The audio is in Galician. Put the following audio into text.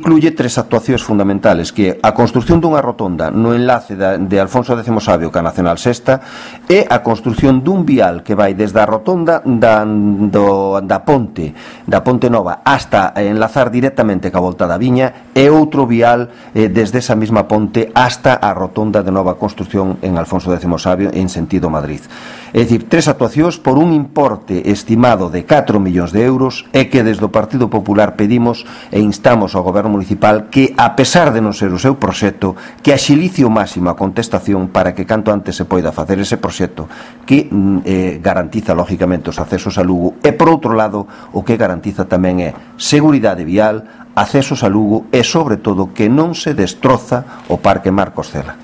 Incluye tres actuacións fundamentales, que é a construción dunha rotonda no enlace de Alfonso X Sabio ca Nacional Sexta e a construción dun vial que vai desde a rotonda da Ponte Nova hasta enlazar directamente ca Volta da Viña e outro vial desde esa mesma ponte hasta a rotonda de nova construción en Alfonso X Sabio en sentido Madrid. É dicir, tres actuacións por un importe estimado de 4 millóns de euros e que desde o Partido Popular pedimos e instamos ao Goberno Municipal que, a pesar de non ser o seu proxecto, que axilice o máximo a contestación para que canto antes se poida facer ese proxecto que garantiza lógicamente os accesos a Lugo e, por outro lado, o que garantiza tamén é seguridade vial, accesos a Lugo e, sobre todo, que non se destroza o Parque Marcos Cela.